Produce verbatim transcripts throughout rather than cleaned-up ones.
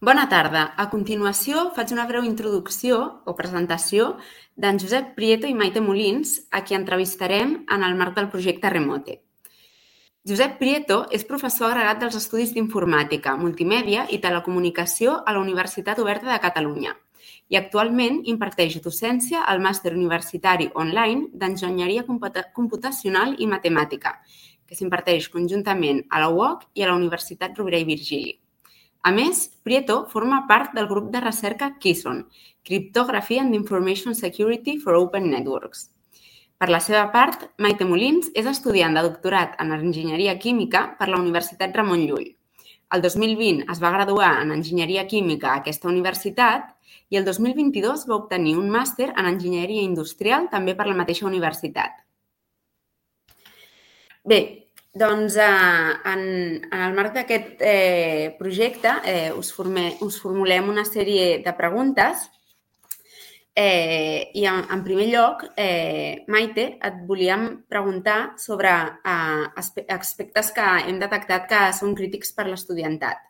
Bona tarda. A continuació faig una breu introducció o presentació d'en Josep Prieto i Maite Molins, a qui entrevistarem en el marc del projecte Remote. Josep Prieto és professor agregat dels Estudis d'Informàtica, Multimèdia i Telecomunicació a la Universitat Oberta de Catalunya i actualment imparteix docència al màster universitari online d'Enginyeria Computacional i Matemàtica, que s'imparteix conjuntament a la U O C i a la Universitat Rovira i Virgili. A més, Prieto forma part del grup de recerca KISON, Cryptography and Information Security for Open Networks. Per la seva part, Maite Molins és estudiant de doctorat en Enginyeria Química per la Universitat Ramon Llull. El dos mil vint es va graduar en Enginyeria Química a aquesta universitat i el dos mil vint-i-dos va obtenir un màster en Enginyeria Industrial també per la mateixa universitat. Bé, doncs en el marc d'aquest projecte us formulem una sèrie de preguntes i en primer lloc, Maite, et volíem preguntar sobre aspectes que hem detectat que són crítics per l'estudiantat.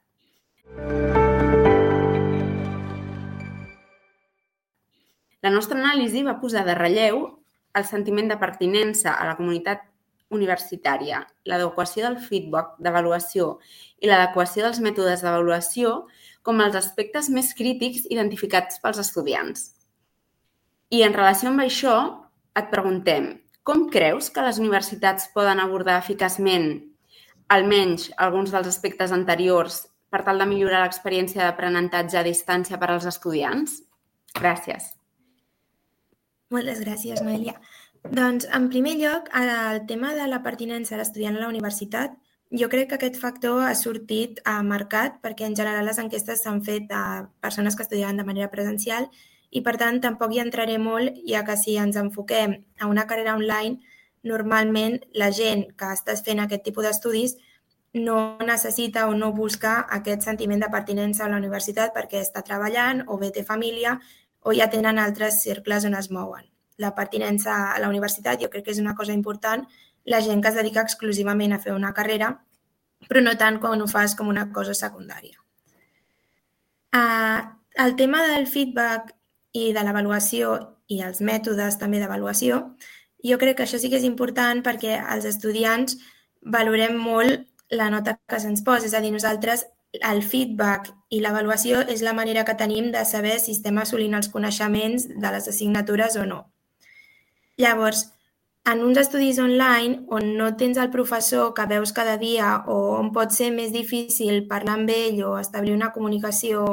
La nostra anàlisi va posar de relleu el sentiment de pertinença a la comunitat universitària, l'adequació del feedback d'avaluació i l'adequació dels mètodes d'avaluació com els aspectes més crítics identificats pels estudiants. I en relació amb això, et preguntem, com creus que les universitats poden abordar eficaçment almenys alguns dels aspectes anteriors per tal de millorar l'experiència d'aprenentatge a distància per als estudiants? Gràcies. Moltes gràcies, Noelia. Doncs, en primer lloc, el tema de la pertinença de l'estudiant a la universitat, jo crec que aquest factor ha sortit marcat perquè en general les enquestes s'han fet a persones que estudiaven de manera presencial i, per tant, tampoc hi entraré molt, ja que si ens enfoquem a una carrera online, normalment la gent que està fent aquest tipus d'estudis no necessita o no busca aquest sentiment de pertinença a la universitat perquè està treballant o bé té família o ja tenen altres cercles on es mouen. La pertinença a la universitat jo crec que és una cosa important, la gent que es dedica exclusivament a fer una carrera, però no tant quan ho fas com una cosa secundària. El tema del feedback i de l'avaluació i els mètodes també d'avaluació, jo crec que això sí que és important perquè els estudiants valorem molt la nota que se'ns posa, és a dir, nosaltres el feedback i l'avaluació és la manera que tenim de saber si estem assolint els coneixements de les assignatures o no. Llavors, en uns estudis online on no tens el professor que veus cada dia o on pot ser més difícil parlar amb ell o establir una comunicació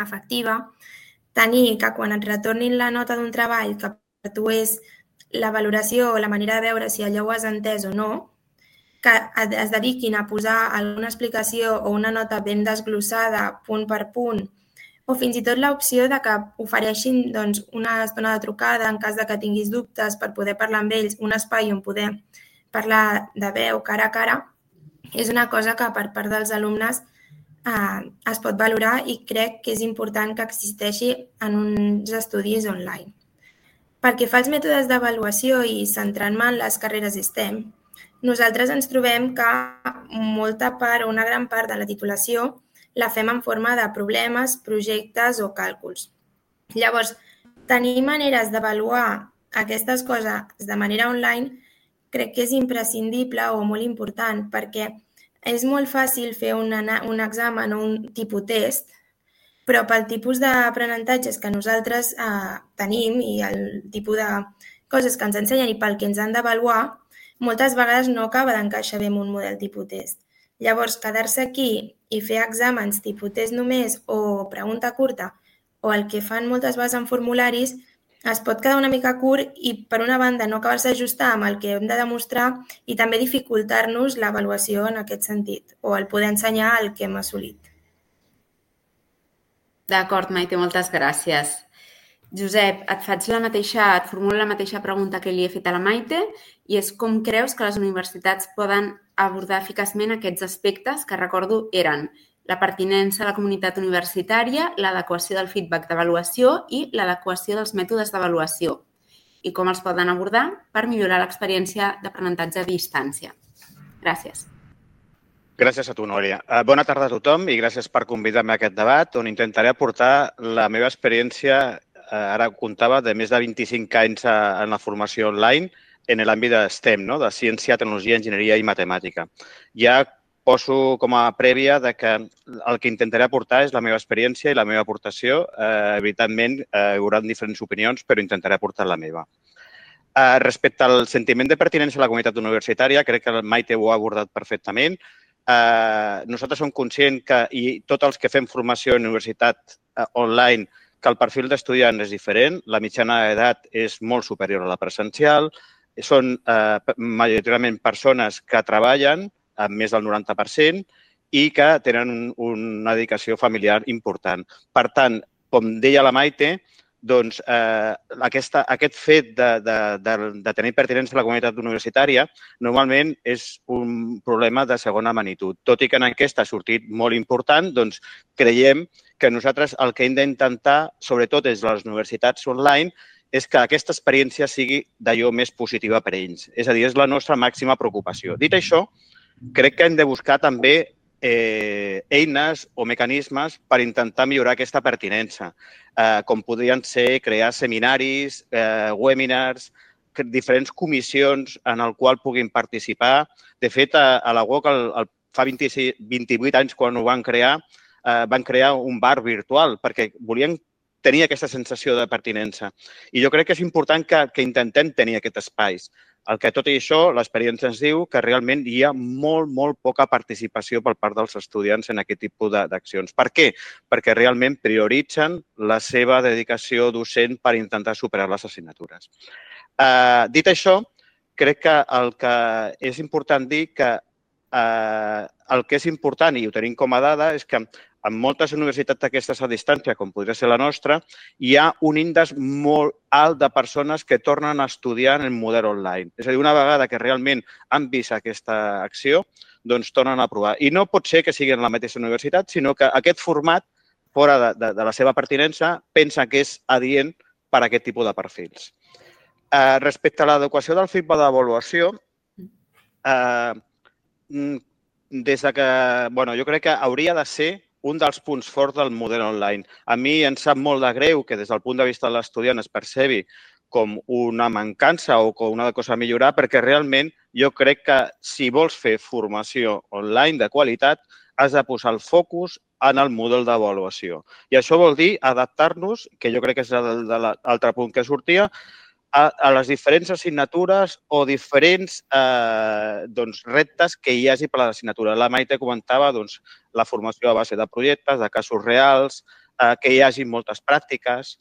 efectiva, tenir que quan et retornin la nota d'un treball que per tu és la valoració o la manera de veure si allò ho has entès o no, que es dediquin a posar alguna explicació o una nota ben desglossada punt per punt, o fins i tot l'opció de que ofereixin una estona de trucada en cas que tinguis dubtes per poder parlar amb ells, un espai on poder parlar de veu cara a cara, és una cosa que per part dels alumnes es pot valorar i crec que és important que existeixi en uns estudis online. Perquè fa els mètodes d'avaluació i centrant-me en les carreres STEM, nosaltres ens trobem que molta part o una gran part de la titulació la fem en forma de problemes, projectes o càlculs. Llavors, tenir maneres d'avaluar aquestes coses de manera online crec que és imprescindible o molt important perquè és molt fàcil fer un examen o un tipus test, però pel tipus d'aprenentatges que nosaltres tenim i el tipus de coses que ens ensenyen i pel que ens han d'avaluar, moltes vegades no acaba d'encaixar bé en un model tipus test. Llavors, quedar-se aquí i fer exàmens tipus test només o pregunta curta o el que fan moltes vegades en formularis es pot quedar una mica curt i, per una banda, no acabar-se d'ajustar amb el que hem de demostrar i també dificultar-nos l'avaluació en aquest sentit o el poder ensenyar el que hem assolit. D'acord, Maite, moltes gràcies. Josep, et faig la mateixa, et formulo la mateixa pregunta que li he fet a la Maite i és com creus que les universitats poden abordar eficaçment aquests aspectes que, recordo, eren la pertinença a la comunitat universitària, l'adequació del feedback d'avaluació i l'adequació dels mètodes d'avaluació i com els poden abordar per millorar l'experiència d'aprenentatge a distància. Gràcies. Gràcies a tu, Núria. Bona tarda a tothom i gràcies per convidar-me a aquest debat on intentaré aportar la meva experiència, ara comptava, de més de vint-i-cinc anys en la formació online en l'àmbit de STEM, de ciència, tecnologia, enginyeria i matemàtica. Ja poso com a prèvia que el que intentaré aportar és la meva experiència i la meva aportació. Evidentment, hi haurà diferents opinions, però intentaré aportar la meva. Respecte al sentiment de pertinença a la comunitat universitària, crec que el Maite ho ha abordat perfectament. Nosaltres som conscients que, i tots els que fem formació en universitat online, que el perfil d'estudiant és diferent, la mitjana d'edat és molt superior a la presencial, són majoritàriament persones que treballen amb més del noranta per cent i que tenen una dedicació familiar important. Per tant, com deia la Maite, doncs aquest fet de tenir pertinença a la comunitat universitària normalment és un problema de segona magnitud. Tot i que en aquesta ha sortit molt important, doncs creiem que nosaltres el que hem d'intentar, sobretot des de les universitats online, és que aquesta experiència sigui d'allò més positiva per a ells. És a dir, és la nostra màxima preocupació. Dit això, crec que hem de buscar també eines o mecanismes per intentar millorar aquesta pertinença, com podrien ser crear seminaris, webinars, diferents comissions en les quals puguin participar. De fet, a la U O C, fa vint-i-vuit anys, quan ho van crear, van crear un bar virtual perquè volien tenir aquesta sensació de pertinença. I jo crec que és important que intentem tenir aquests espais. El que tot i això, l'experiència ens diu que realment hi ha molt, molt poca participació per part dels estudiants en aquest tipus d'accions. Per què? Perquè realment prioritzen la seva dedicació docent per intentar superar les assignatures. Dit això, crec que el que és important dir que el que és important, i ho tenim com a dada, és que en moltes universitats d'aquestes a distància, com podria ser la nostra, hi ha un índex molt alt de persones que tornen a estudiar en el model online. És a dir, una vegada que realment han vist aquesta acció, doncs tornen a provar. I no pot ser que sigui en la mateixa universitat, sinó que aquest format, fora de la seva pertinença, pensa que és adient per a aquest tipus de perfils. Respecte a l'adequació del feedback d'avaluació, des que, bueno, jo crec que hauria de ser un dels punts forts del model online. A mi em sap molt de greu que des del punt de vista de l'estudiant es percebi com una mancança o com una cosa a millorar, perquè realment jo crec que si vols fer formació online de qualitat, has de posar el focus en el model d'avaluació. I això vol dir adaptar-nos, que jo crec que és l'altre punt que sortia, a les diferents assignatures o diferents reptes que hi hagi per a l'assignatura. La Maite comentava la formació a base de projectes, de casos reals, que hi hagi moltes pràctiques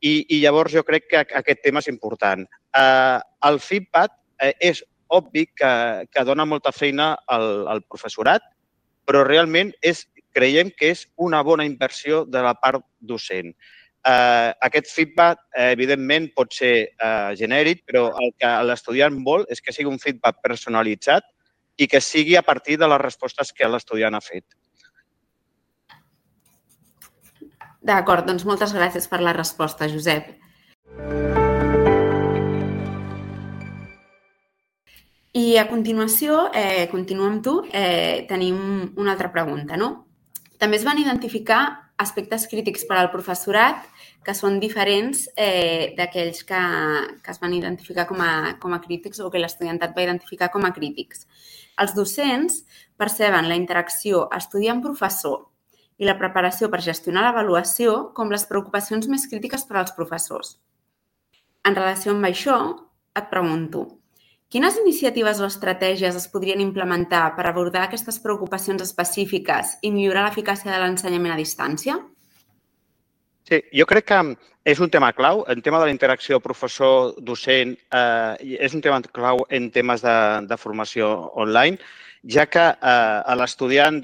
i llavors jo crec que aquest tema és important. El feedback és obvi que dona molta feina al professorat, però realment creiem que és una bona inversió de la part docent. Aquest feedback, evidentment, pot ser genèric, però el que l'estudiant vol és que sigui un feedback personalitzat i que sigui a partir de les respostes que l'estudiant ha fet. D'acord, doncs moltes gràcies per la resposta, Josep. I a continuació, continuo amb tu, tenim una altra pregunta, no? També es van identificar aspectes crítics per al professorat que són diferents d'aquells que es van identificar com a crítics o que l'estudiantat va identificar com a crítics. Els docents perceben la interacció estudiant-professor i la preparació per gestionar l'avaluació com les preocupacions més crítiques per als professors. En relació amb això, et pregunto, quines iniciatives o estratègies es podrien implementar per abordar aquestes preocupacions específiques i millorar l'eficàcia de l'ensenyament a distància? Sí, jo crec que és un tema clau. El tema de la interacció professor-docent és un tema clau en temes de formació online, ja que l'estudiant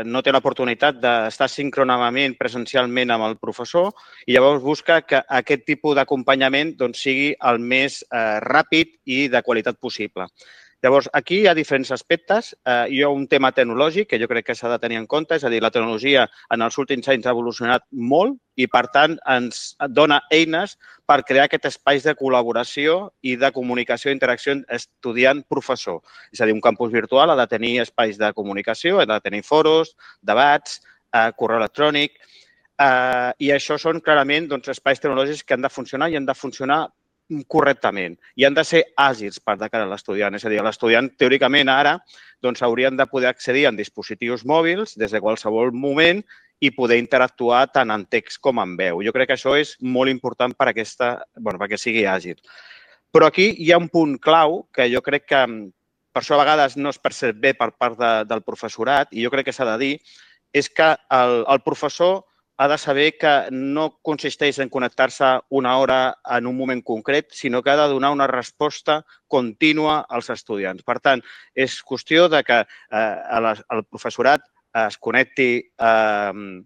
no té l'oportunitat d'estar síncronament, presencialment amb el professor i llavors busca que aquest tipus d'acompanyament sigui el més ràpid i de qualitat possible. Llavors, aquí hi ha diferents aspectes. Eh, hi ha un tema tecnològic que jo crec que s'ha de tenir en compte, és a dir, la tecnologia en els últims anys ha evolucionat molt i, per tant, ens dona eines per crear aquest espai de col·laboració i de comunicació i interacció estudiant-professor. És a dir, un campus virtual ha de tenir espais de comunicació, ha de tenir foros, debats, eh, correu electrònic, eh, i això són clarament doncs, espais tecnològics que han de funcionar i han de funcionar correctament i han de ser àgils per de cara a l'estudiant. És a dir, l'estudiant, teòricament, ara doncs, haurien de poder accedir en dispositius mòbils des de qualsevol moment i poder interactuar tant en text com en veu. Jo crec que això és molt important per aquesta, bueno, perquè sigui àgil. Però aquí hi ha un punt clau que jo crec que per això a vegades no es percep bé per part de, del professorat i jo crec que s'ha de dir, és que el, el professor ha de saber que no consisteix en connectar-se una hora en un moment concret, sinó que ha de donar una resposta contínua als estudiants. Per tant, és qüestió de que eh, el professorat es connecti eh,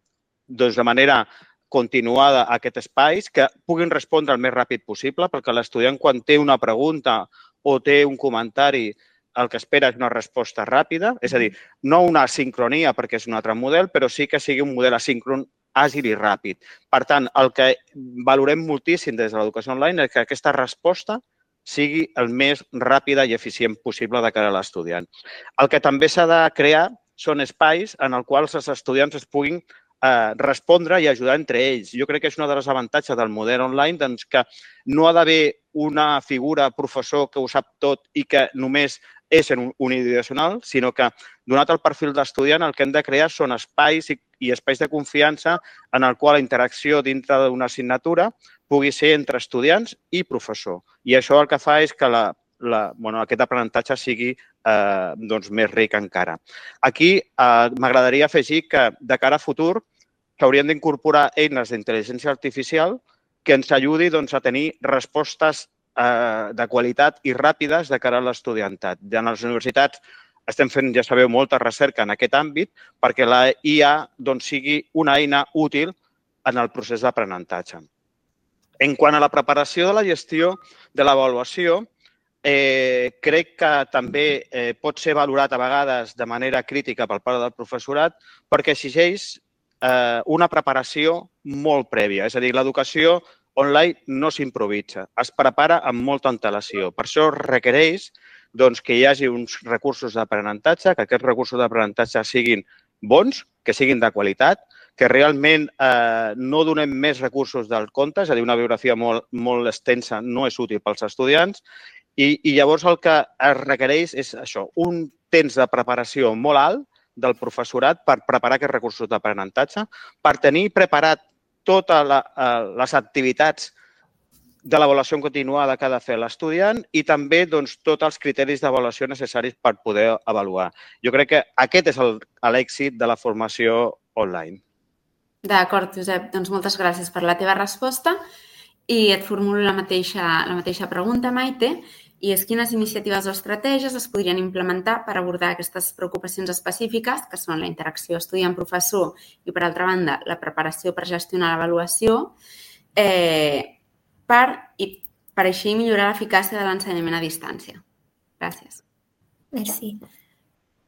doncs de manera continuada a aquest espai, que puguin respondre el més ràpid possible, perquè l'estudiant, quan té una pregunta o té un comentari, el que espera és una resposta ràpida, és a dir, no una asincronia perquè és un altre model, però sí que sigui un model asíncron àgil i ràpid. Per tant, el que valorem moltíssim des de l'educació online és que aquesta resposta sigui el més ràpida i eficient possible de cara a l'estudiant. El que també s'ha de crear són espais en els quals els estudiants es puguin eh, respondre i ajudar entre ells. Jo crec que és un dels avantatges del model online, doncs que no ha d'haver una figura professor que ho sap tot i que només és unidireccional, sinó que, donat el perfil d'estudiant, el que hem de crear són espais i, i espais de confiança en el qual la interacció dintre d'una assignatura pugui ser entre estudiants i professor. I això el que fa és que la, la, bueno, aquest aprenentatge sigui eh, doncs, més ric encara. Aquí eh, m'agradaria afegir que, de cara a futur, s'haurien d'incorporar eines d'intel·ligència artificial que ens ajudi doncs, a tenir respostes de qualitat i ràpides de cara a l'estudiantat. En les universitats estem fent, ja sabeu, molta recerca en aquest àmbit perquè la I A doncs, sigui una eina útil en el procés d'aprenentatge. En quant a la preparació de la gestió de l'avaluació, eh, crec que també eh, pot ser valorat a vegades de manera crítica per part del professorat perquè exigeix eh, una preparació molt prèvia. És a dir, l'educació online no s'improvisa, es prepara amb molta antelació. Per això requereix doncs, que hi hagi uns recursos d'aprenentatge, que aquests recursos d'aprenentatge siguin bons, que siguin de qualitat, que realment eh, no donem més recursos del compte, és a dir, una bibliografia molt, molt extensa no és útil pels estudiants, i, i llavors el que es requereix és això, un temps de preparació molt alt del professorat per preparar aquests recursos d'aprenentatge, per tenir preparat totes les activitats de l'avaluació continuada que ha de fer l'estudiant i també doncs, tots els criteris d'avaluació necessaris per poder avaluar. Jo crec que aquest és l'èxit de la formació online. D'acord, Josep. Doncs moltes gràcies per la teva resposta i et formulo la mateixa, la mateixa pregunta, Maite, i és quines iniciatives o estratègies es podrien implementar per abordar aquestes preocupacions específiques, que són la interacció estudiant-professor i, per altra banda, la preparació per gestionar l'avaluació, eh, per, i, per així millorar l'eficàcia de l'ensenyament a distància. Gràcies. Merci.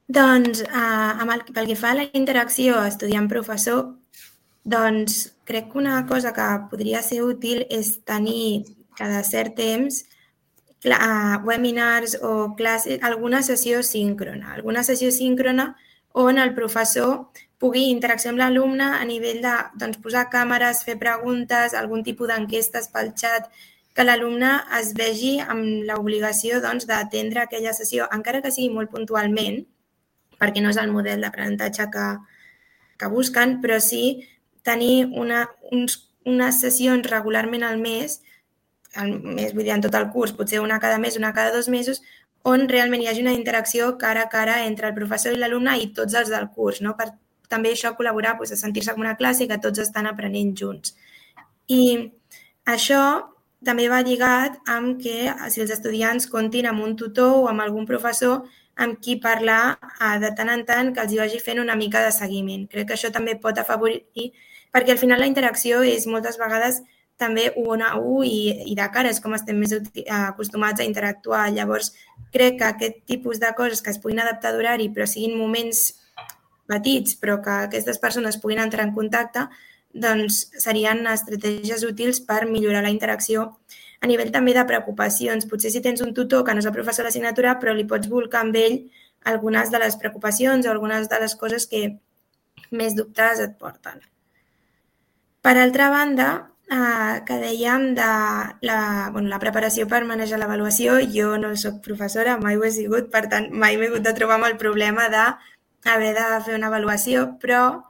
Doncs, eh, amb el, pel que fa a la interacció estudiant-professor, doncs crec que una cosa que podria ser útil és tenir cada cert temps webinars o classes, alguna sessió síncrona, alguna sessió síncrona on el professor pugui interaccionar amb l'alumne a nivell de doncs, posar càmeres, fer preguntes, algun tipus d'enquestes pel xat, que l'alumne es vegi amb l'obligació doncs, d'atendre aquella sessió, encara que sigui molt puntualment, perquè no és el model d'aprenentatge que, que busquen, però sí tenir una, uns, unes sessions regularment al mes, al mes, vull dir, en tot el curs, potser una cada mes, una cada dos mesos, on realment hi hagi una interacció cara a cara entre el professor i l'alumne i tots els del curs, no? Per també això col·laborar, doncs, a sentir-se com una classe que tots estan aprenent junts. I això també va lligat amb que si els estudiants comptin amb un tutor o amb algun professor amb qui parlar de tant en tant que els hi vagi fent una mica de seguiment. Crec que això també pot afavorir, perquè al final la interacció és moltes vegades també un a un i, i de cara, és com estem més acostumats a interactuar. Llavors, crec que aquest tipus de coses que es puguin adaptar d'horari però siguin moments petits, però que aquestes persones puguin entrar en contacte, doncs serien estratègies útils per millorar la interacció a nivell també de preocupacions. Potser si tens un tutor que no és el professor de l'assignatura, però li pots volcar amb ell algunes de les preocupacions o algunes de les coses que més dubtes et porten. Per altra banda, eh, que dèiem de la, bueno, la preparació per manejar l'avaluació, jo no soc professora, mai ho he sigut, per tant, mai m'he hagut de trobar amb el problema d'haver de fer una avaluació, però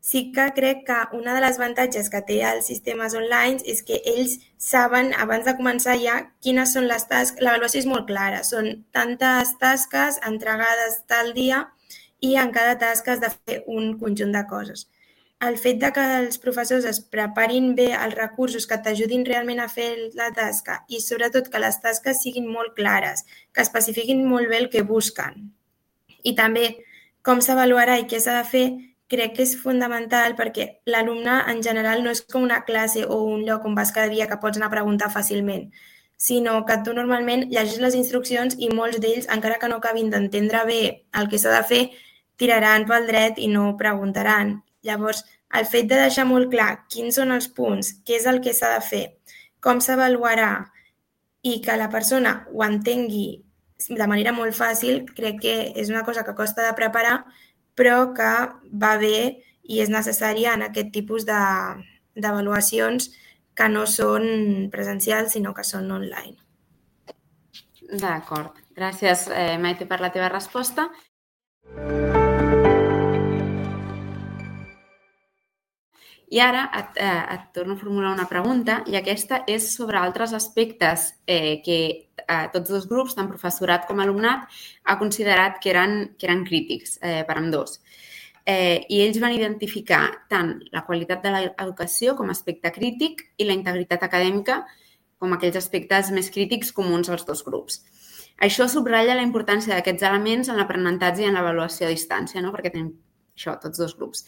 sí que crec que una de les avantatges que té els sistemes online és que ells saben, abans de començar ja, quines són les tasques. L'avaluació és molt clara, són tantes tasques entregades tal dia i en cada tasca has de fer un conjunt de coses. El fet de que els professors es preparin bé els recursos que t'ajudin realment a fer la tasca i sobretot que les tasques siguin molt clares, que especifiquin molt bé el que busquen i també com s'avaluarà i què s'ha de fer, crec que és fonamental perquè l'alumne en general no és com una classe o un lloc on vas cada dia que pots anar a preguntar fàcilment, sinó que tu normalment llegis les instruccions i molts d'ells, encara que no acabin d'entendre bé el que s'ha de fer, tiraran pel dret i no preguntaran. Llavors, el fet de deixar molt clar quins són els punts, què és el que s'ha de fer, com s'avaluarà i que la persona ho entengui de manera molt fàcil, crec que és una cosa que costa de preparar, però que va bé i és necessària en aquest tipus d'avaluacions que no són presencials, sinó que són online. D'acord. Gràcies, eh, Maite, per la teva resposta. I ara et, eh, et torno a formular una pregunta i aquesta és sobre altres aspectes eh, que eh, tots dos grups, tant professorat com alumnat, ha considerat que eren, que eren crítics eh, per ambdós. Eh, I ells van identificar tant la qualitat de l'educació com a aspecte crític i la integritat acadèmica com aquells aspectes més crítics comuns als dos grups. Això subratlla la importància d'aquests elements en l'aprenentatge i en l'avaluació a distància, no? Perquè tenim això, tots dos grups.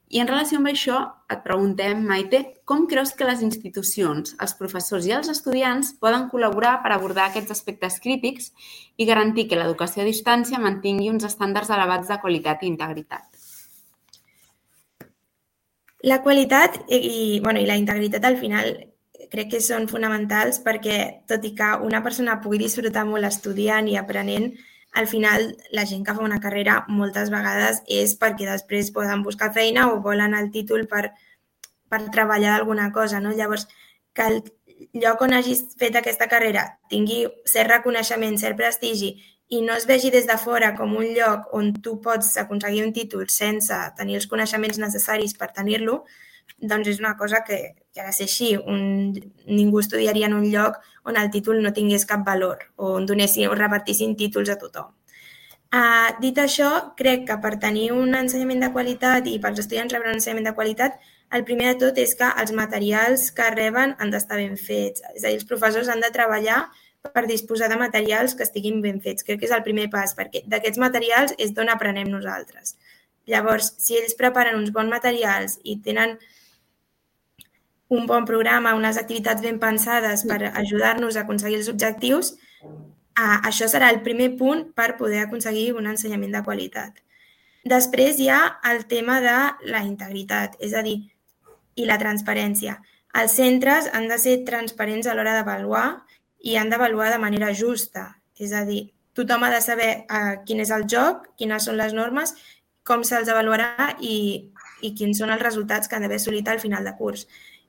I en relació amb això, et preguntem, Maite, com creus que les institucions, els professors i els estudiants poden col·laborar per abordar aquests aspectes crítics i garantir que l'educació a distància mantingui uns estàndards elevats de qualitat i integritat? La qualitat i, bueno, i la integritat al final crec que són fonamentals perquè, tot i que una persona pugui disfrutar molt estudiant i aprenent, al final la gent que fa una carrera moltes vegades és perquè després poden buscar feina o volen el títol per, per treballar d'alguna cosa, no? Llavors, que el lloc on hagis fet aquesta carrera tingui cert reconeixement, cert prestigi i no es vegi des de fora com un lloc on tu pots aconseguir un títol sense tenir els coneixements necessaris per tenir-lo, doncs és una cosa que, que ha de ser així. Un, ningú estudiaria en un lloc on el títol no tingués cap valor o on donessin o repartissin títols a tothom. Uh, dit això, crec que per tenir un ensenyament de qualitat i pels estudiants rebre un ensenyament de qualitat, el primer de tot és que els materials que reben han d'estar ben fets. És a dir, els professors han de treballar per disposar de materials que estiguin ben fets. Crec que és el primer pas, perquè d'aquests materials és d'on aprenem nosaltres. Llavors, si ells preparen uns bons materials i tenen un bon programa, unes activitats ben pensades per ajudar-nos a aconseguir els objectius, eh, això serà el primer punt per poder aconseguir un ensenyament de qualitat. Després hi ha el tema de la integritat, és a dir, i la transparència. Els centres han de ser transparents a l'hora d'avaluar i han d'avaluar de manera justa, és a dir, tothom ha de saber eh, quin és el joc, quines són les normes, com se'ls avaluarà i, i quins són els resultats que han d'haver assolit al final de curs.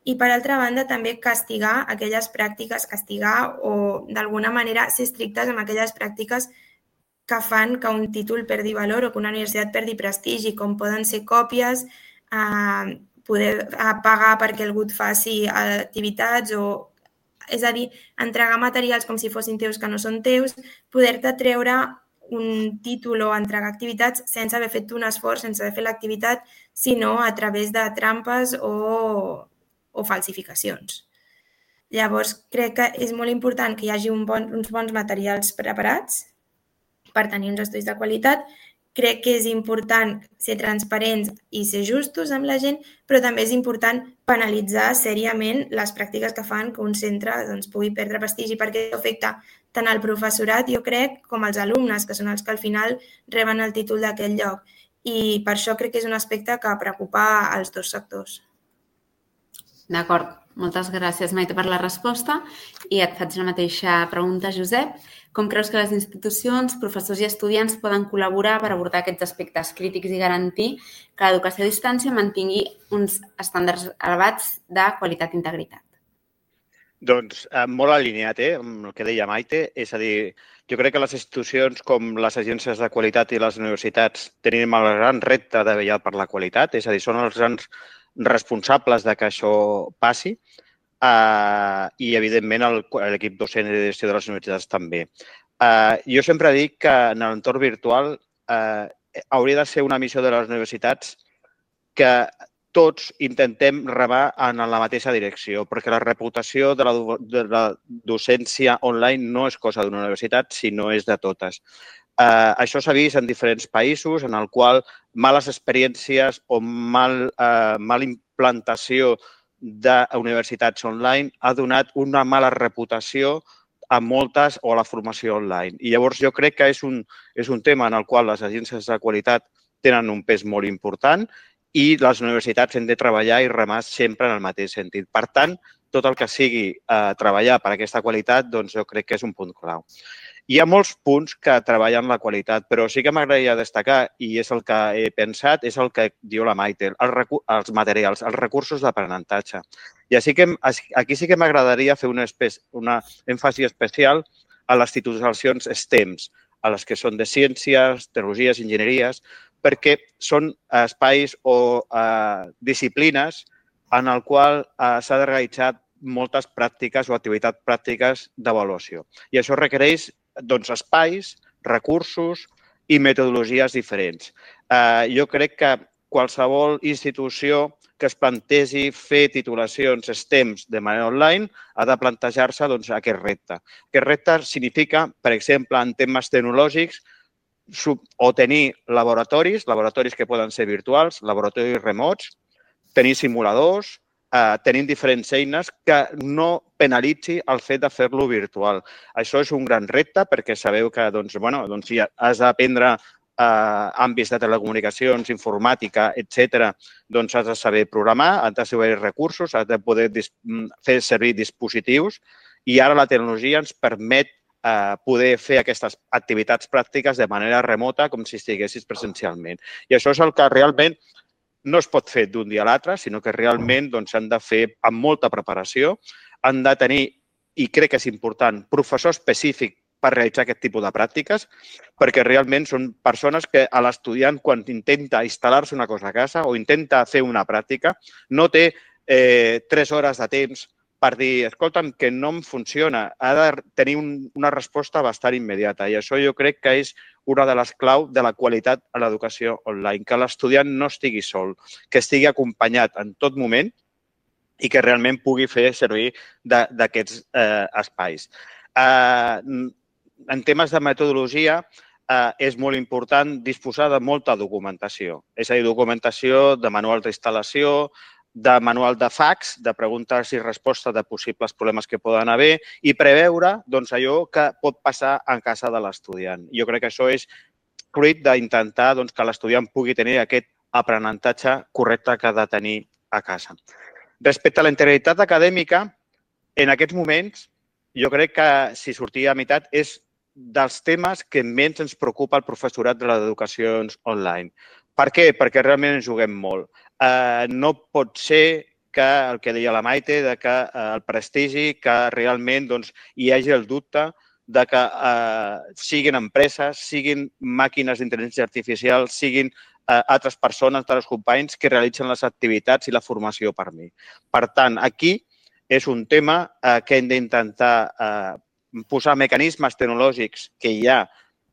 I, per altra banda, també castigar aquelles pràctiques, castigar o, d'alguna manera, ser estrictes amb aquelles pràctiques que fan que un títol perdi valor o que una universitat perdi prestigi, com poden ser còpies, eh, poder eh, pagar perquè algú et faci activitats o, és a dir, entregar materials com si fossin teus que no són teus, poder-te treure un títol o entregar activitats sense haver fet un esforç, sense haver fet l'activitat, sinó a través de trampes o o falsificacions. Llavors, crec que és molt important que hi hagi un bon, uns bons materials preparats per tenir uns estudis de qualitat. crec que és important ser transparents i ser justos amb la gent, però també és important penalitzar sèriament les pràctiques que fan que un centre doncs, pugui perdre prestigi, perquè això afecta tant al professorat, jo crec, com als alumnes, que són els que al final reben el títol d'aquest lloc. I per això crec que és un aspecte que preocupa als dos sectors. D'acord. Moltes gràcies, Maite, per la resposta. I et faig la mateixa pregunta, Josep. Com creus que les institucions, professors i estudiants poden col·laborar per abordar aquests aspectes crítics i garantir que l'educació a distància mantingui uns estàndards elevats de qualitat i integritat? Doncs molt alineat eh, amb el que deia Maite. És a dir, jo crec que les institucions com les agències de qualitat i les universitats tenim el gran repte de vetllar per la qualitat, és a dir, són els grans responsables de que això passi. Uh, i, evidentment, l'equip docent i de gestió de les universitats també. Uh, jo sempre dic que en l'entorn virtual uh, hauria de ser una missió de les universitats que tots intentem remar en la mateixa direcció, perquè la reputació de la, de la docència online no és cosa d'una universitat, sinó és de totes. Uh, això s'ha vist en diferents països en el qual males experiències o mal, uh, mala implantació d'universitats online ha donat una mala reputació a moltes o a la formació online. I llavors jo crec que és un, és un tema en el qual les agències de qualitat tenen un pes molt important i les universitats hem de treballar i remar sempre en el mateix sentit. Per tant, tot el que sigui eh, treballar per aquesta qualitat, doncs jo crec que és un punt clau. Hi ha molts punts que treballen la qualitat, però sí que m'agradaria destacar, i és el que he pensat, és el que diu la Maite, els, els materials, els recursos d'aprenentatge. I així que, aquí sí que m'agradaria fer una, una èmfasi especial a les titulacions STEMs, a les que són de ciències, tecnologies, enginyeries, perquè són espais o eh, disciplines en el qual eh, s'ha de realitzar moltes pràctiques o activitats pràctiques d'avaluació. I això requereix doncs, espais, recursos i metodologies diferents. Eh, jo crec que qualsevol institució que es plantegi fer titulacions STEMs de manera online ha de plantejar-se doncs, aquest repte. Aquest repte significa, per exemple, en temes tecnològics, o tenir laboratoris, laboratoris que poden ser virtuals, laboratoris remots, tenir simuladors, eh, tenint diferents eines que no penalitzi el fet de fer-lo virtual. Això és un gran repte perquè sabeu que doncs, bueno, doncs, si has d'aprendre eh, àmbits de telecomunicacions, informàtica, etcètera, doncs has de saber programar, has de saber recursos, has de poder fer servir dispositius i ara la tecnologia ens permet eh, poder fer aquestes activitats pràctiques de manera remota com si estiguessis presencialment. I això és el que realment no es pot fer d'un dia a l'altre, sinó que realment s'han doncs, de fer amb molta preparació, han de tenir, i crec que és important, professor específic per realitzar aquest tipus de pràctiques, perquè realment són persones que a l'estudiant, quan intenta instal·lar-se una cosa a casa o intenta fer una pràctica, no té eh, tres hores de temps per dir, escolta'm, que no em funciona. Ha de tenir un, una resposta bastant immediata i això jo crec que és una de les claus de la qualitat a l'educació online, que l'estudiant no estigui sol, que estigui acompanyat en tot moment i que realment pugui fer servir d'aquests eh, espais. Eh, en temes de metodologia, eh, és molt important disposar de molta documentació, és a dir, documentació de manual d'instal·lació, de manual de fax, de preguntes i respostes de possibles problemes que poden haver i preveure doncs, allò que pot passar en casa de l'estudiant. Jo crec que això és fruit d'intentar doncs, que l'estudiant pugui tenir aquest aprenentatge correcte que ha de tenir a casa. Respecte a la integritat acadèmica, en aquests moments, jo crec que si sortia a meitat és dels temes que menys ens preocupa el professorat de les educacions online. Per què? Perquè realment ens juguem molt. Eh, no pot ser que el que deia la Maite, de que eh, el prestigi, que realment doncs, hi hagi el dubte de que eh, siguin empreses, siguin màquines d'intel·ligència artificial, siguin eh, altres persones, altres companys que realitzen les activitats i la formació per mi. Per tant, aquí és un tema eh, que hem d'intentar eh, posar mecanismes tecnològics que hi ha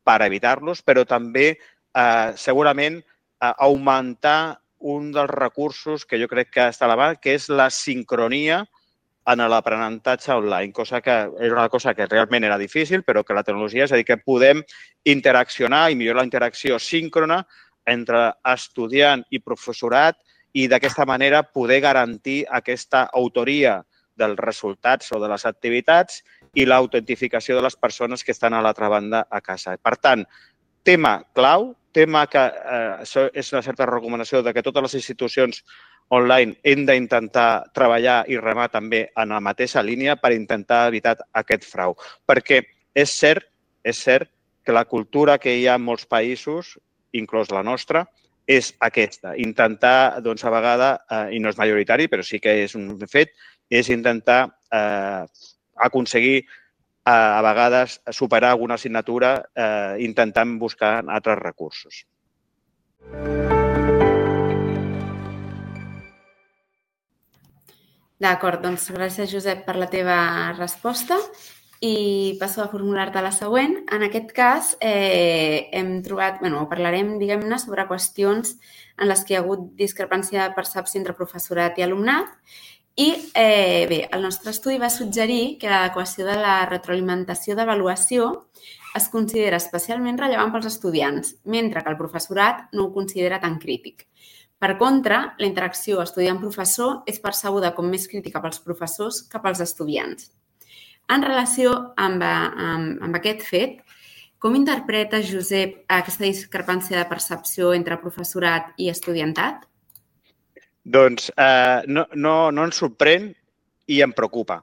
per evitar-los, però també eh, segurament eh, augmentar un dels recursos que jo crec que està a la mà, que és la sincronia en l'aprenentatge online, cosa que era una cosa que realment era difícil, però que la tecnologia, és a dir, que podem interaccionar i millorar la interacció síncrona entre estudiant i professorat i d'aquesta manera poder garantir aquesta autoria dels resultats o de les activitats i l'autentificació de les persones que estan a l'altra banda a casa. Per tant, tema clau, tema que eh, és una certa recomanació de que totes les institucions online hem d'intentar treballar i remar també en la mateixa línia per intentar evitar aquest frau. Perquè és cert, és cert que la cultura que hi ha en molts països, inclòs la nostra, és aquesta. Intentar, doncs, a vegades, eh, i no és majoritari, però sí que és un fet, és intentar eh, aconseguir eh, a vegades superar alguna assignatura eh, intentant buscar altres recursos. D'acord, doncs gràcies, Josep, per la teva resposta. I passo a formular-te la següent. En aquest cas, eh, hem trobat, bueno, parlarem, diguem-ne, sobre qüestions en les que hi ha hagut discrepància de percepció entre professorat i alumnat. I, eh, bé, el nostre estudi va suggerir que l'adequació de la retroalimentació d'avaluació es considera especialment rellevant pels estudiants, mentre que el professorat no ho considera tan crític. Per contra, la interacció estudiant-professor és percebuda com més crítica pels professors que pels estudiants. En relació amb, amb, amb aquest fet, com interpretes, Josep, aquesta discrepància de percepció entre professorat i estudiantat? Doncs eh, no, no, no ens sorprèn i em preocupa.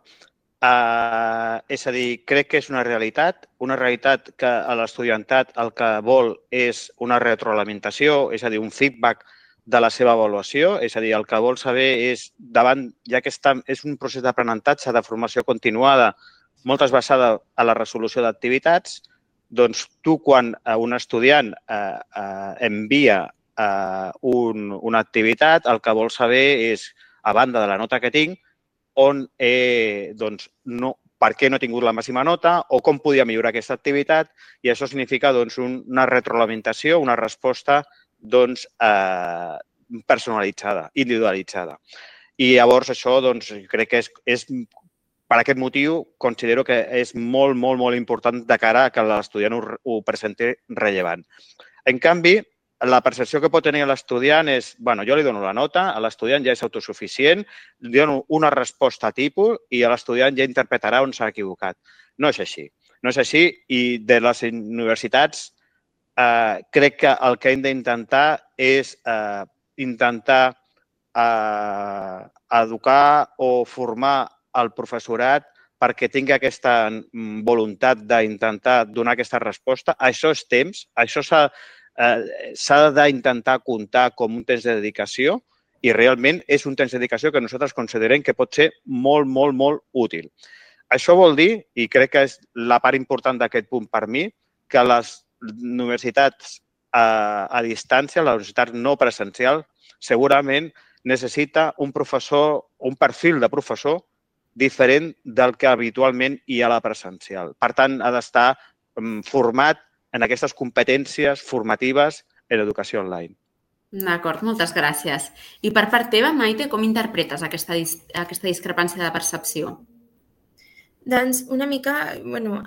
Eh, és a dir, crec que és una realitat, una realitat que l'estudiantat el que vol és una retroalimentació, és a dir, un feedback de la seva avaluació, és a dir, el que vol saber és, davant, ja que està, és un procés d'aprenentatge, de formació continuada, moltes basada a la resolució d'activitats, doncs tu, quan un estudiant eh, eh, envia eh, un, una activitat, el que vol saber és, a banda de la nota que tinc, on he, doncs, no, per què no he tingut la màxima nota o com podia millorar aquesta activitat, i això significa doncs, una retroalimentació, una resposta doncs, eh, personalitzada, individualitzada. I llavors això doncs, crec que és, és, per aquest motiu, considero que és molt, molt, molt important de cara a que l'estudiant ho, ho presenti rellevant. En canvi, la percepció que pot tenir l'estudiant és, bueno, jo li dono la nota, l'estudiant ja és autosuficient, li dono una resposta tipus i l'estudiant ja interpretarà on s'ha equivocat. No és així. No és així i de les universitats Uh, crec que el que hem d'intentar és uh, intentar uh, educar o formar el professorat perquè tingui aquesta voluntat d'intentar donar aquesta resposta. Això és temps, això s'ha uh, d'intentar comptar com un temps de dedicació i realment és un temps de dedicació que nosaltres considerem que pot ser molt, molt, molt útil. Això vol dir, i crec que és la part important d'aquest punt per mi, que les universitats a, a distància, la universitat no presencial, segurament necessita un professor, un perfil de professor diferent del que habitualment hi ha a la presencial. Per tant, ha d'estar format en aquestes competències formatives en l'educació online. D'acord, moltes gràcies. I per part teva, Maite, com interpretes aquesta, aquesta discrepància de percepció? Doncs una mica, bueno,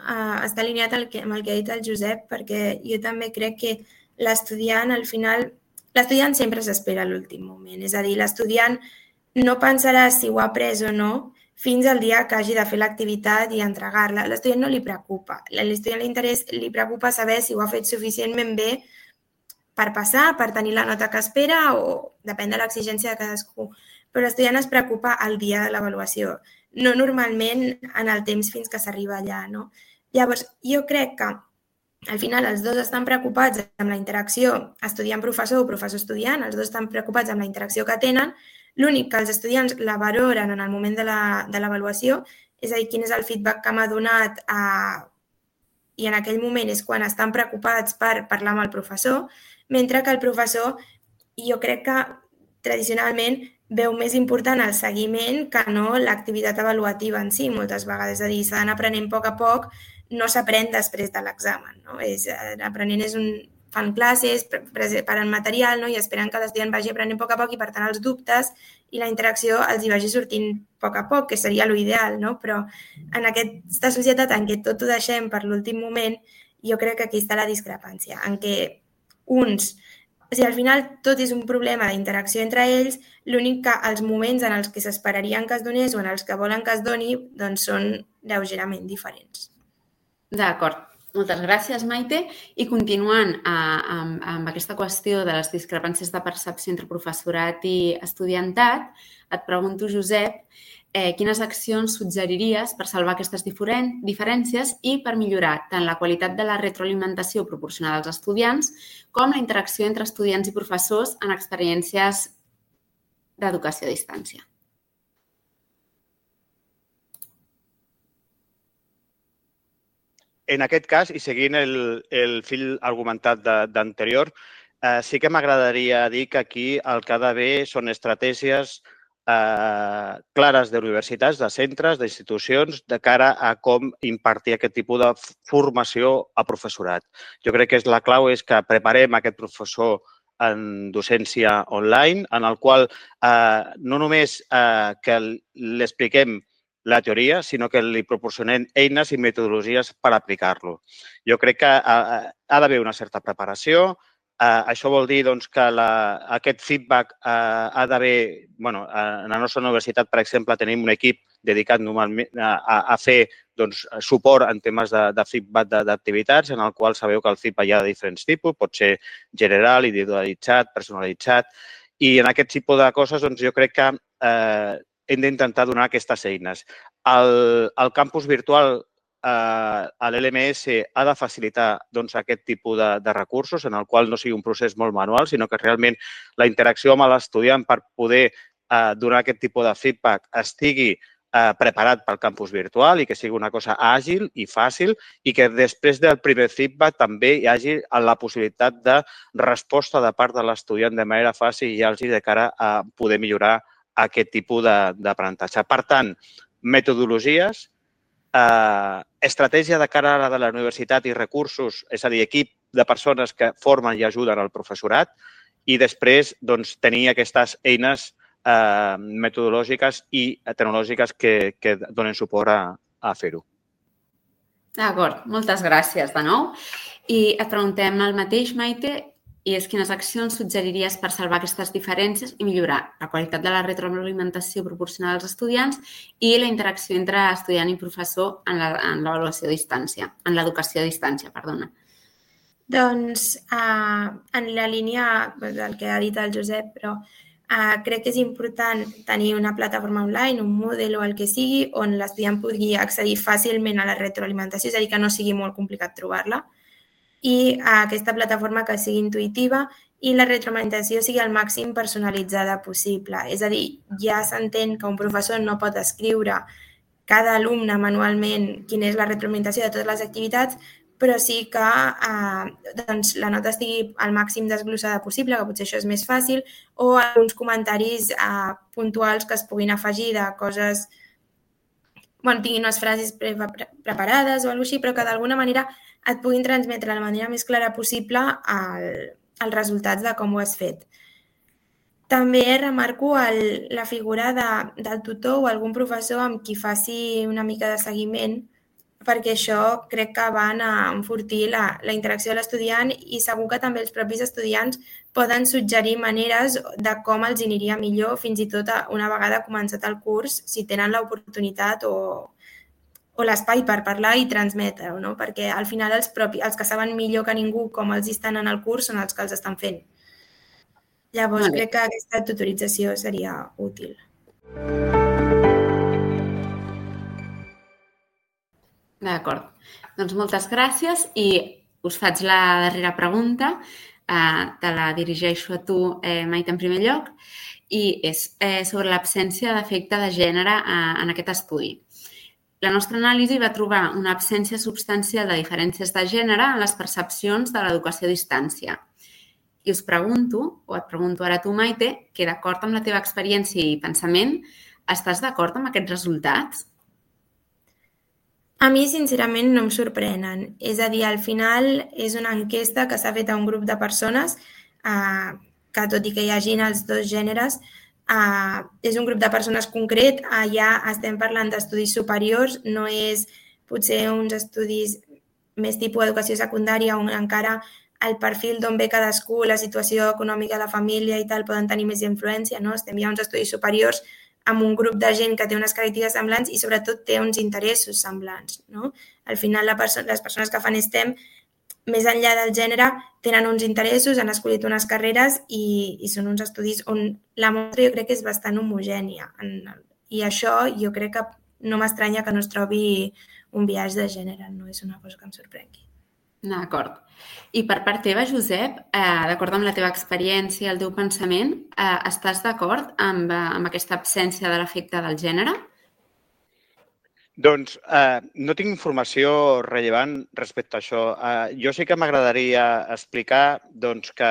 està alineat amb el que ha dit el Josep, perquè jo també crec que l'estudiant, al final, l'estudiant sempre s'espera a l'últim moment. És a dir, l'estudiant no pensarà si ho ha après o no fins al dia que hagi de fer l'activitat i entregar-la. L'estudiant no li preocupa. A l'estudiant li preocupa saber si ho ha fet suficientment bé per passar, per tenir la nota que espera o depèn de l'exigència de cadascú. Però l'estudiant es preocupa el dia de l'avaluació, no normalment en el temps fins que s'arriba allà, no? Llavors, jo crec que al final els dos estan preocupats amb la interacció estudiant-professor o professor-estudiant, els dos estan preocupats amb la interacció que tenen, l'únic que els estudiants la valoren en el moment de l'avaluació, és a dir, quin és el feedback que m'ha donat a... i en aquell moment és quan estan preocupats per parlar amb el professor, mentre que el professor, jo crec que tradicionalment veu més important el seguiment que no l'activitat avaluativa en si, moltes vegades. És a dir, s'ha d'anar aprenent a poc a poc, no s'aprèn després de l'examen. No? És, aprenent és un, fan classes, preparen material, no? I esperen que l'estudiant vagi aprenent a poc a poc i, per tant, els dubtes i la interacció els hi vagi sortint a poc a poc, que seria l'ideal, no? Però en aquesta societat en què tot ho deixem per l'últim moment, jo crec que aquí està la discrepància, en què uns... O sigui, al final tot és un problema d'interacció entre ells, l'únic que els moments en els que s'esperarien que es donés o en els que volen que es doni doncs són lleugerament diferents. D'acord. Moltes gràcies, Maite. I continuant amb, amb aquesta qüestió de les discrepàncies de percepció entre professorat i estudiantat, et pregunto, Josep, eh, quines accions suggeriries per salvar aquestes diferències i per millorar tant la qualitat de la retroalimentació proporcionada als estudiants com la interacció entre estudiants i professors en experiències d'educació a distància. En aquest cas, i seguint el, el fil argumentat d'anterior, eh, sí que m'agradaria dir que aquí el que ha d'haver són estratègies eh, clares d'universitats, de centres, d'institucions, de cara a com impartir aquest tipus de formació a professorat. Jo crec que la clau és que preparem aquest professor en docència online, en el qual eh, no només eh, que l'expliquem la teoria, sinó que li proporcionem eines i metodologies per aplicar-lo. Jo crec que ha, ha d'haver una certa preparació. Uh, això vol dir doncs, que la, aquest feedback uh, ha d'haver... Bueno, en la nostra universitat, per exemple, tenim un equip dedicat normalment a, a fer doncs, suport en temes de, de feedback d'activitats, en el qual sabeu que el feedback hi ha de diferents tipus, pot ser general, individualitzat, personalitzat, i en aquest tipus de coses doncs, jo crec que eh, hem d'intentar donar aquestes eines. El, el campus virtual, eh, l'L M S, ha de facilitar doncs, aquest tipus de, de recursos, en el qual no sigui un procés molt manual, sinó que realment la interacció amb l'estudiant per poder eh, donar aquest tipus de feedback estigui eh, preparat pel campus virtual i que sigui una cosa àgil i fàcil i que després del primer feedback també hi hagi la possibilitat de resposta de part de l'estudiant de manera fàcil i àgil de cara a poder millorar aquest tipus d'aprenentatge. Per tant, metodologies, eh, estratègia de cara a la de la universitat i recursos, és a dir, equip de persones que formen i ajuden al professorat i després doncs, tenir aquestes eines eh, metodològiques i tecnològiques que, que donen suport a, a fer-ho. D'acord, moltes gràcies de nou. I et preguntem el mateix, Maite, i és quines accions suggeriries per salvar aquestes diferències i millorar la qualitat de la retroalimentació proporcionada als estudiants i la interacció entre estudiant i professor en l'avaluació a distància, en l'educació a distància, perdona. Doncs, eh, en la línia del que ha dit el Josep, però eh, crec que és important tenir una plataforma online, un Moodle o el que sigui, on l'estudiant pugui accedir fàcilment a la retroalimentació, és a dir, que no sigui molt complicat trobar-la, i aquesta plataforma que sigui intuïtiva i la retroalimentació sigui al màxim personalitzada possible. És a dir, ja s'entén que un professor no pot escriure cada alumne manualment quina és la retroalimentació de totes les activitats, però sí que eh, doncs, la nota estigui al màxim desglossada possible, que potser això és més fàcil, o alguns comentaris eh, puntuals que es puguin afegir de coses, bueno, tinguin unes frases pre preparades o alguna cosa així, però que d'alguna manera et puguin transmetre de la manera més clara possible el, els resultats de com ho has fet. També remarco el, la figura de, del tutor o algun professor amb qui faci una mica de seguiment, perquè això crec que van a enfortir la, la interacció de l'estudiant i segur que també els propis estudiants poden suggerir maneres de com els aniria millor, fins i tot una vegada començat el curs, si tenen l'oportunitat o o l'espai per parlar i transmetre-ho, no? Perquè al final els, propi, els que saben millor que ningú com els estan en el curs són els que els estan fent. Llavors, crec que aquesta tutorització seria útil. D'acord. Doncs moltes gràcies i us faig la darrera pregunta. Eh, te la dirigeixo a tu, eh, Maite, en primer lloc, i és eh, sobre l'absència d'efecte de gènere eh, en aquest estudi. La nostra anàlisi va trobar una absència substancial de diferències de gènere en les percepcions de l'educació a distància. I us pregunto, o et pregunto ara tu, Maite, que d'acord amb la teva experiència i pensament, estàs d'acord amb aquests resultats? A mi, sincerament, no em sorprenen. És a dir, al final és una enquesta que s'ha fet a un grup de persones eh, que, tot i que hi hagin els dos gèneres, eh, és un grup de persones concret. Allà estem parlant d'estudis superiors, no és potser uns estudis més tipus educació secundària on encara el perfil d'on ve cadascú, la situació econòmica de la família i tal poden tenir més influència, no? Estem ja uns estudis superiors amb un grup de gent que té unes característiques semblants i sobretot té uns interessos semblants. No? Al final, la perso les persones que fan STEM, més enllà del gènere, tenen uns interessos, han escollit unes carreres i, i són uns estudis on la mostra jo crec que és bastant homogènia. I això jo crec que no m'estranya que no es trobi un biaix de gènere, no és una cosa que em sorprengui. D'acord. I per part teva, Josep, eh, d'acord amb la teva experiència i el teu pensament, eh, estàs d'acord amb, eh, amb aquesta absència de l'efecte del gènere? Doncs eh, no tinc informació rellevant respecte a això. Eh, jo sí que m'agradaria explicar doncs, que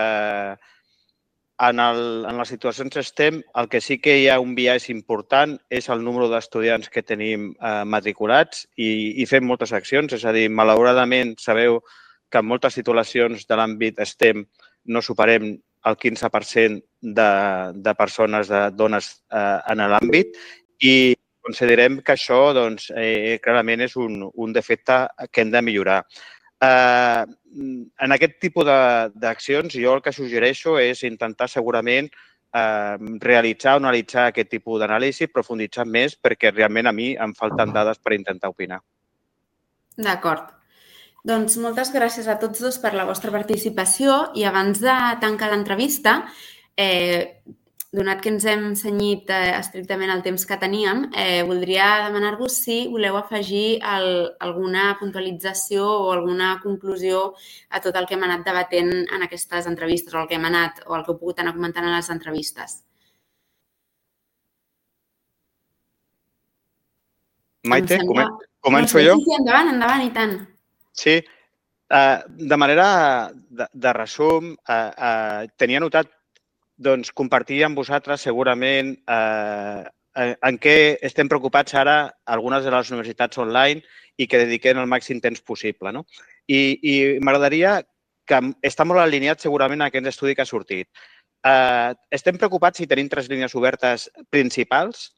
en, el, en les situacions STEM el que sí que hi ha un biaix important és el número d'estudiants que tenim eh, matriculats i, i fem moltes accions. És a dir, malauradament sabeu que en moltes titulacions de l'àmbit STEM no superem el quinze per cent de, de persones, de dones eh, en l'àmbit i considerem que això doncs, eh, clarament és un, un defecte que hem de millorar. Eh, en aquest tipus d'accions jo el que suggereixo és intentar segurament eh, realitzar o analitzar aquest tipus d'anàlisi, profunditzar més perquè realment a mi em falten dades per intentar opinar. D'acord. Doncs moltes gràcies a tots dos per la vostra participació i abans de tancar l'entrevista, eh, donat que ens hem cenyit eh, estrictament el temps que teníem, eh, voldria demanar-vos si voleu afegir el, alguna puntualització o alguna conclusió a tot el que hem anat debatent en aquestes entrevistes o el que hem anat o el que heu pogut anar comentant en les entrevistes. Maite, sembla... començo jo? Sí, sí, endavant, endavant, i tant. Sí, uh, de manera de, de resum, uh, uh, tenia notat doncs, compartir amb vosaltres segurament uh, en què estem preocupats ara algunes de les universitats online i que dediquem el màxim temps possible. No? I, i m'agradaria que està molt alineat segurament a aquest estudi que ha sortit. Uh, estem preocupats si tenim tres línies obertes principals,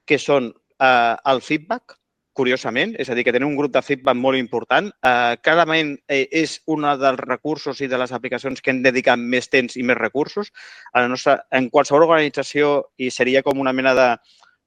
que són uh, el feedback, curiosament, és a dir, que tenim un grup de feedback molt important. Eh, clarament eh, és un dels recursos i de les aplicacions que hem dedicat més temps i més recursos. A la nostra, en qualsevol organització, i seria com una mena de,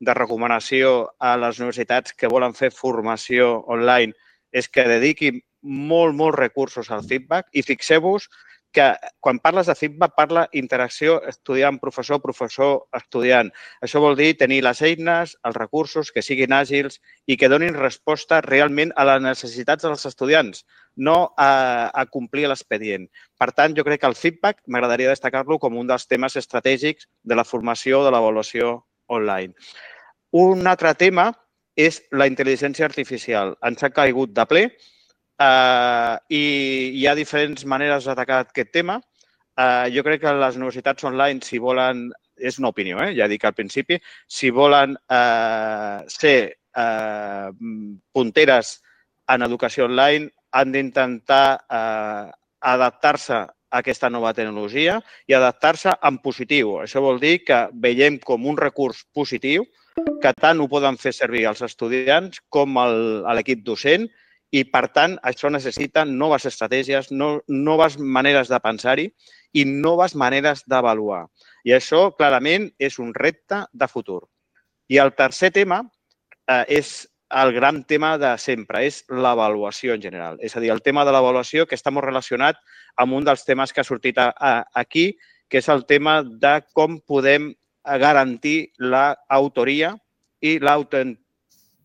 de recomanació a les universitats que volen fer formació online, és que dediquin molt, molts recursos al feedback i fixeu-vos que quan parles de feedback parla interacció estudiant-professor, professor-estudiant. Això vol dir tenir les eines, els recursos, que siguin àgils i que donin resposta realment a les necessitats dels estudiants, no a, a complir l'expedient. Per tant, jo crec que el feedback m'agradaria destacar-lo com un dels temes estratègics de la formació o de l'avaluació online. Un altre tema és la intel·ligència artificial. Ens ha caigut de ple. Uh, i hi ha diferents maneres d'atacar aquest tema. Uh, jo crec que les universitats online, si volen, és una opinió, eh? Ja dic al principi, si volen uh, ser uh, punteres en educació online, han d'intentar uh, adaptar-se a aquesta nova tecnologia i adaptar-se en positiu. Això vol dir que veiem com un recurs positiu, que tant ho poden fer servir els estudiants com l'equip docent, i, per tant, això necessita noves estratègies, no, noves maneres de pensar-hi i noves maneres d'avaluar. I això, clarament, és un repte de futur. I el tercer tema eh, és el gran tema de sempre, és l'avaluació en general. És a dir, el tema de l'avaluació que està molt relacionat amb un dels temes que ha sortit a, a, aquí, que és el tema de com podem garantir l'autoria i l'autenticitat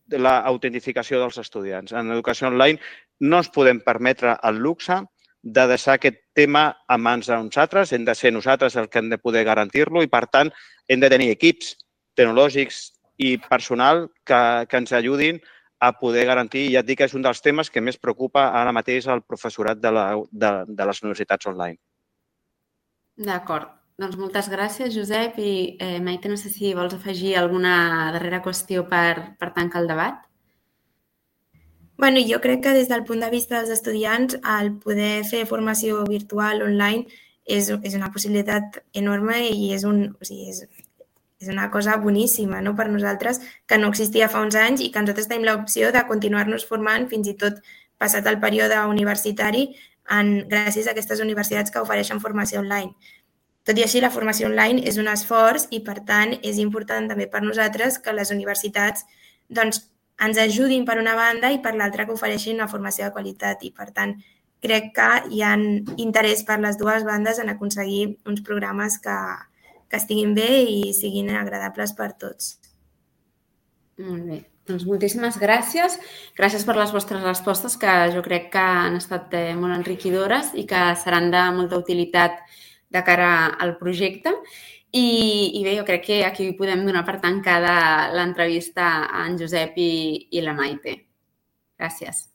de l'autentificació dels estudiants. En educació online no ens podem permetre el luxe de deixar aquest tema a mans d'uns altres. Hem de ser nosaltres els que hem de poder garantir-lo i, per tant, hem de tenir equips tecnològics i personal que, que ens ajudin a poder garantir. I ja et dic que és un dels temes que més preocupa ara mateix el professorat de, la, de, de les universitats online. D'acord. Doncs moltes gràcies, Josep. I eh, Maite, no sé si vols afegir alguna darrera qüestió per, per tancar el debat. Bueno, jo crec que des del punt de vista dels estudiants, el poder fer formació virtual online és, és una possibilitat enorme i és, un, o sigui, és, és una cosa boníssima, no?, per nosaltres, que no existia fa uns anys i que nosaltres tenim l'opció de continuar-nos formant fins i tot passat el període universitari en, gràcies a aquestes universitats que ofereixen formació online. Tot i així, la formació online és un esforç i, per tant, és important també per nosaltres que les universitats doncs, ens ajudin per una banda i per l'altra que ofereixin una formació de qualitat. I, per tant, crec que hi ha interès per les dues bandes en aconseguir uns programes que, que estiguin bé i siguin agradables per tots. Molt bé. Doncs moltíssimes gràcies. Gràcies per les vostres respostes, que jo crec que han estat molt enriquidores i que seran de molta utilitat de cara al projecte. I, i bé, jo crec que aquí podem donar per tancada l'entrevista a en Josep i, i la Maite. Gràcies.